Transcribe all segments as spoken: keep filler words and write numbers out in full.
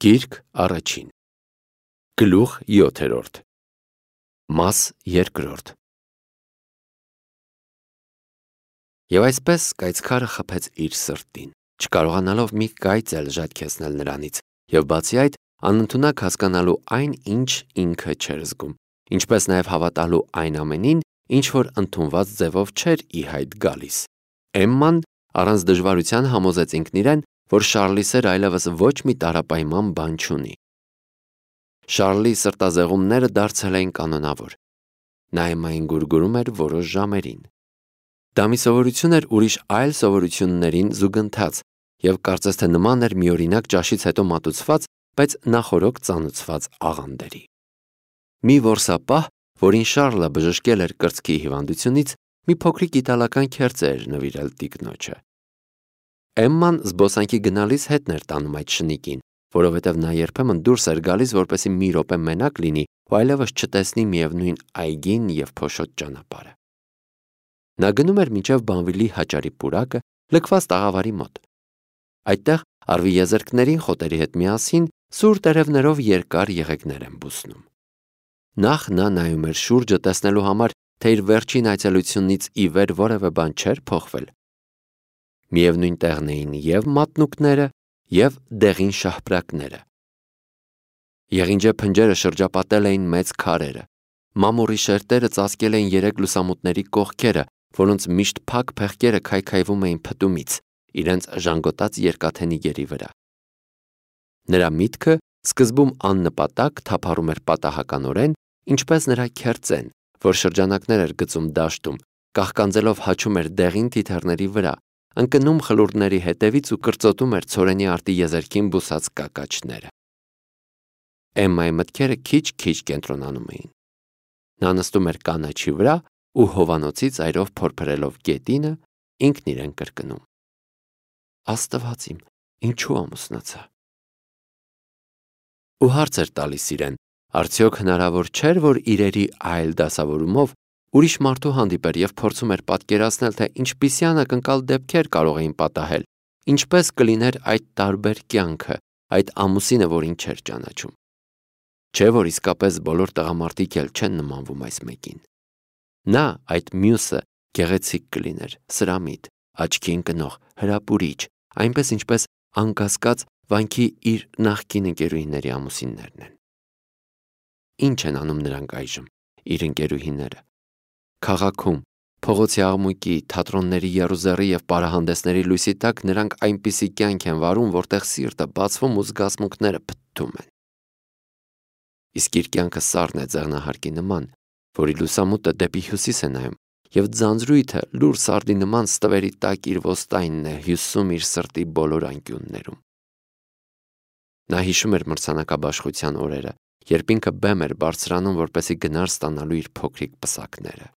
Գիրք առաջին Գլուխ յոթերորդ Մաս երկրորդ Եվ այսպես կայծքարը խփեց իր սրտին, չկարողանալով մի կայծ էլ ժայթքեցնել նրանից, և բացի այդ անընդունակ հասկանալու այն, ինչ ինքը չէր զգում, ինչպես նաև հավատալու այն ամենին, ինչ որ ընդունված ձևով չէր ի հայտ գալիս։ Էմման առանց դժվարության համոզեց ինքն իրեն, որ Շառլի սերը այլևս ոչ մի տարապայման բան չունի։ Շառլի սրտազեղումները դարձել էին կանոնավոր։ Նա Էմմային գուրգուրում էր որոշ ժամերին։ Դա մի սովորություն էր ուրիշ այլ սովորություններին զուգընթաց, և կարծես թե նման էր միօրինակ ճաշից հետո մատուցված, բայց նախօրոք ծանուցված աղանդերի։ Մի որսապահ, որին Շառլը բժշկել էր կրծքի հիվանդությունից, մի փոքրիկ իտալական քերծե էր նվիրել տիկնոջը։ Էմման զբոսանքի գնալիս հետն էր տանում այդ շնիկին, որովհետև նա երբեմն դուրս էր գալիս, որպեսզի մի րոպե մենակ լինի ու այլևս չտեսնի միևնույն այգին և փոշոտ ճանապարհը։ Նա գնում էր մինչև Բանվիլի հաճարի պուրակը, լքված տաղավարի մոտ։ Այդտեղ արվի եզերքներին խոտերի հետ միասին սուր տերևներով երկար եղեգներ են բուսնում։ Նախ նա նայում էր շուրջը տեսնելու համար, թե իր վերջին այցելությունից ի վեր որևէ բան չէր փոխվել։ Միևնույն տեղն էին և մատնուկները, և դեղին շահպրակները։ Եղինջե փնջերը շրջապատել էին մեծ քարերը։ Մամուռի շերտերը ծածկել էին երեք լուսամուտների կողքերը, որոնց միշտ փակ փեղկերը քայքայվում էին փտումից, իրենց ժանգոտած երկաթենիգերի վրա։ Նրա միտքը սկզբում աննպատակ թափառում էր պատահականորեն, ինչպես նրա քերծեն, որ շրջանակներ էր գծում դաշտում, կաղկանձելով հաչում էր դեղին թիթեռների վրա, ընկնում խլուրդների հետևից ու կրծոտում էր ցորենի արտի եզերքին բուսած կակաչները։ Էմմայի մտքերը քիչ-քիչ կենտրոնանում էին։ Նա նստում էր կանաչի վրա ու հովանոցի ծայրով փորփրելով գետինը, ինքն իրեն կրկնում. Աստված իմ, ինչու ամուսնացա։ Ու հարց էր տալիս իրեն, արդյոք հնարավոր չէր, որ իրերի այլ դասավորումով ուրիշ մարդու հանդիպեր և փորձում էր պատկերացնել, թե ինչպիսի անակնկալ դեպքեր կարող էին պատահել, ինչպես կլիներ այդ տարբեր կյանքը, այդ ամուսինը, որին չէր ճանաչում։ Չէ՞ որ իսկապես բոլոր տղամարդիկ էլ չեն նմանվում այս մեկին։ Նա, այդ մյուսը, գեղեցիկ կլիներ, սրամիտ, աչքի ընկնող, հրապուրիչ, այնպես ինչպես անկասկած վանքի իր նախկին ընկերուհիների ամուսիններն են։ Ինչ են անում նրանք այժմ, իր ընկերուհիները։ Քաղաքում, փողոցի աղմուկի, թատրոնների եռուզեռի և պարահանդեսների լույսի տակ նրանք այնպիսի կյանք են վարում, որտեղ սիրտը բացվում ու զգացմունքները փթթում են։ Իսկ իր կյանքը սառն է ձեղնահարկի նման, որի լուսամուտը դեպի հյուսիս է նայում, և ձանձրույթը լուռ սարդի նման ստվերի տակ իր ոստայնն է հյուսում իր սրտի բոլոր անկյուններում։ Նա հիշում էր մրցանակաբաշխության օրերը, երբ ինքը բեմ էր բարձրանում, որպեսզի գնար ստանալու իր փոքրիկ պսակները։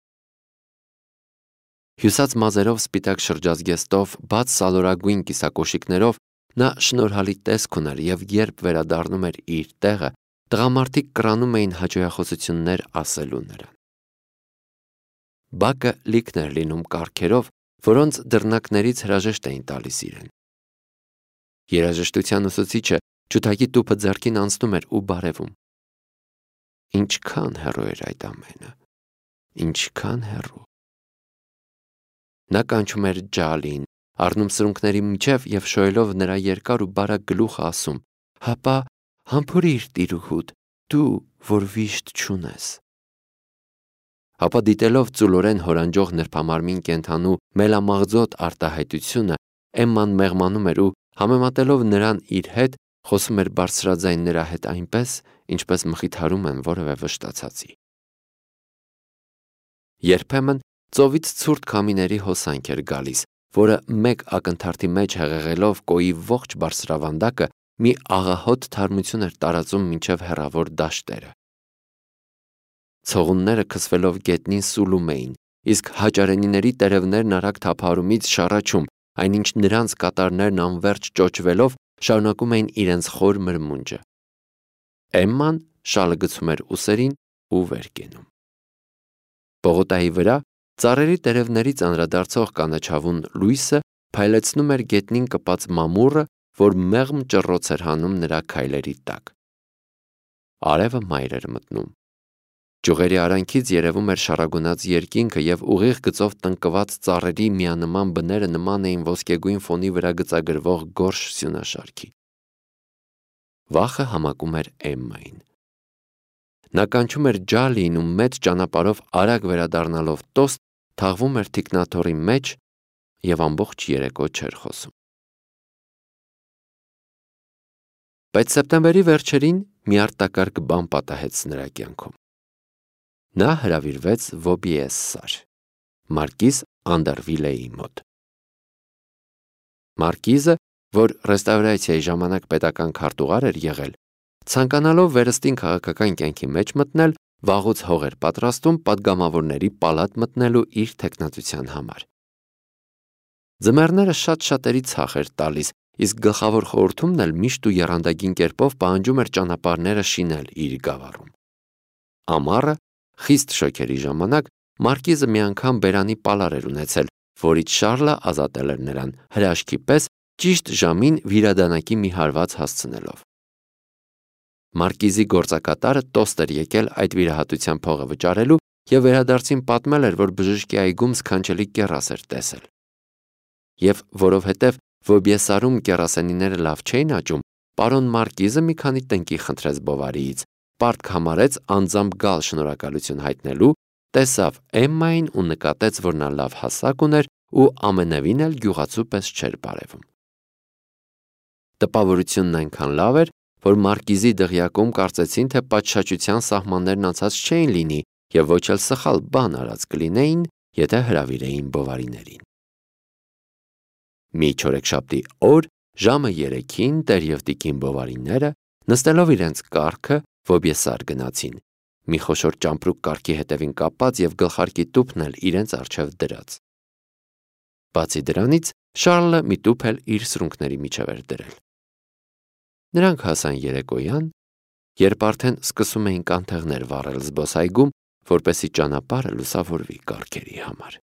Հյուսած մազերով սպիտակ շրջազգեստով, բաց սալորագույն կիսակոշիկներով նա շնորհալի տեսք ուներ, և երբ վերադառնում էր իր տեղը, տղամարդիկ կռանում էին հաճոյախոսություններ ասելու նրան։ Բակը լիքն էր լինում կառքերով, որոնց դռնակներից հրաժեշտ էին տալիս իրեն։ Երաժշտության ուսուցիչը ջութակի տուփը ձեռքին անցնում էր ու բարևում։ Ինչքան հեռու էր այդ ամենը, ինչքան հեռու։ Նա կանչում էր Ջալին, առնում սրունքների միջև և շոյելով նրա երկար ու բարակ գլուխը ասում. հապա համբուրի՛ր տիրուհուդ, դու, որ վիշտ չունես։ Հապա դիտելով ծուլորեն հորանջող նրբամարմին կենդանու մելամաղձոտ արտահայտությունը, Էմման մեղմանում էր ու, համեմատելով նրան իր հետ, խոսում էր բարձրաձայն նրա հետ այնպես, ինչպես մխիթարում են որևէ վշտացածի։ Երբեմն ծովից ցուրտ քամիների հոսանք էր գալիս, որը մեկ ակնթարթի մեջ հեղեղելով կոյի ողջ բարձրավանդակը մի աղահոտ թարմություն էր տարածում մինչև հեռավոր դաշտերը։ Ցողունները քսվելով գետնին սուլում էին, իսկ հաճարենիների տերևներն արագ թափահարումից շառաչում, այնինչ նրանց կատարներն անվերջ ճոճվելով շարունակում էին իրենց խոր մրմունջը։ Էմման շալը գցում էր ուսերին ու վեր կենում։ Պողոտայի վրա ծառերի տերևներից անդրադարձող կանաչավուն լույսը փայլեցնում էր գետնին կպած մամուռը որ մեղմ ճռոց էր հանում նրա քայլերի տակ։ Արևը մայր էր մտնում։ Ճյուղերի արանքից երևում էր շարագունած երկինքը և ուղիղ գծով տնկված ծառերի միանման բները նման էին ոսկեգույն ֆոնի վրա գծագրվող գորշ սյունաշարքի։ Վախը համակում էր Էմմային։ Նա կանչում էր Ջալիին ու մեծ ճանապարհով արագ վերադառնալով տոստ, թաղվում էր թիկնաթոռի մեջ և ամբողջ երեկո չէր խոսում։ Բայց սեպտեմբերի վերջերին մի արտակարգ բան պատահեց նրա կյանքում։ Նա հրավիրվեց Վոբիեսսար, մարկիզ Անդերվիլեի մոտ։ Մարկիզը, որ ռեստավրացիայի ժամանակ պետական քարտուղար էր եղել, ցանկանալով վերստին քաղաքական կյանքի մեջ մտնել, վաղուց հող էր պատրաստում պատգամավորների պալատ մտնելու իր թեկնածության համար։ Ձմեռները շատ-շատերի ցախ էր տալիս, իսկ գլխավոր խորհրդումն էլ միշտ ու եռանդագին կերպով պահանջում էր ճանապարհները շինել իր գավառում։ Ամառը, խիստ շոգերի ժամանակ, մարկիզը մի անգամ բերանի պալար էր ունեցել, որից Շառլը ազատել էր նրան, հրաշքի պես ճիշտ ժամին վիրադանակի մի հարված հասցնելով։ Մարկիզի գործակատարը տոստ էր եկել այդ վիրահատության փողը վճարելու և վերադարձին պատմել էր, որ բժշկի այգում սքանչելի կեռաս էր տեսել։ Եվ որովհետև Վոբիեսարում կեռասենիները լավ չէին աճում, պարոն Մարկիզը մի քանի տնկի խնդրեց Բովարիից, պարտք համարեց անձամբ գալ շնորհակալություն հայտնելու, տեսավ Էմմային ու նկատեց, որ նա լավ հասակ ուներ ու ամենևին էլ գյուղացու պես չէր բարևում։ Տպավորությունն այնքան լավ էր, որ Մարկիզի դղյակում կարծեցին, թե պատշաճության սահմաններն անցած չէին լինի և ոչ էլ սխալ բան արած կլինեին, եթե հրավիրեին Բովարիներին։ Մի չորեքշաբթի օր ժամը երեքին տեր և տիկին Բովարիները, նստելով իրենց կառքը, Վոբիեսար գնացին, մի խոշոր ճամպրուկ կառքի հետևին կապած և գլխարկի տուփն էլ իրենց առջև դրած։ Բացի դրանից, Շառլը մի տուփ էլ իր սրունքների միջև էր դրել։ Նրանք հասան երեկոյան, երբ արդեն սկսում էին կանթեղներ վառել զբոսայգում, որպեսզի ճանապարհը լուսավորվի կառքերի համար։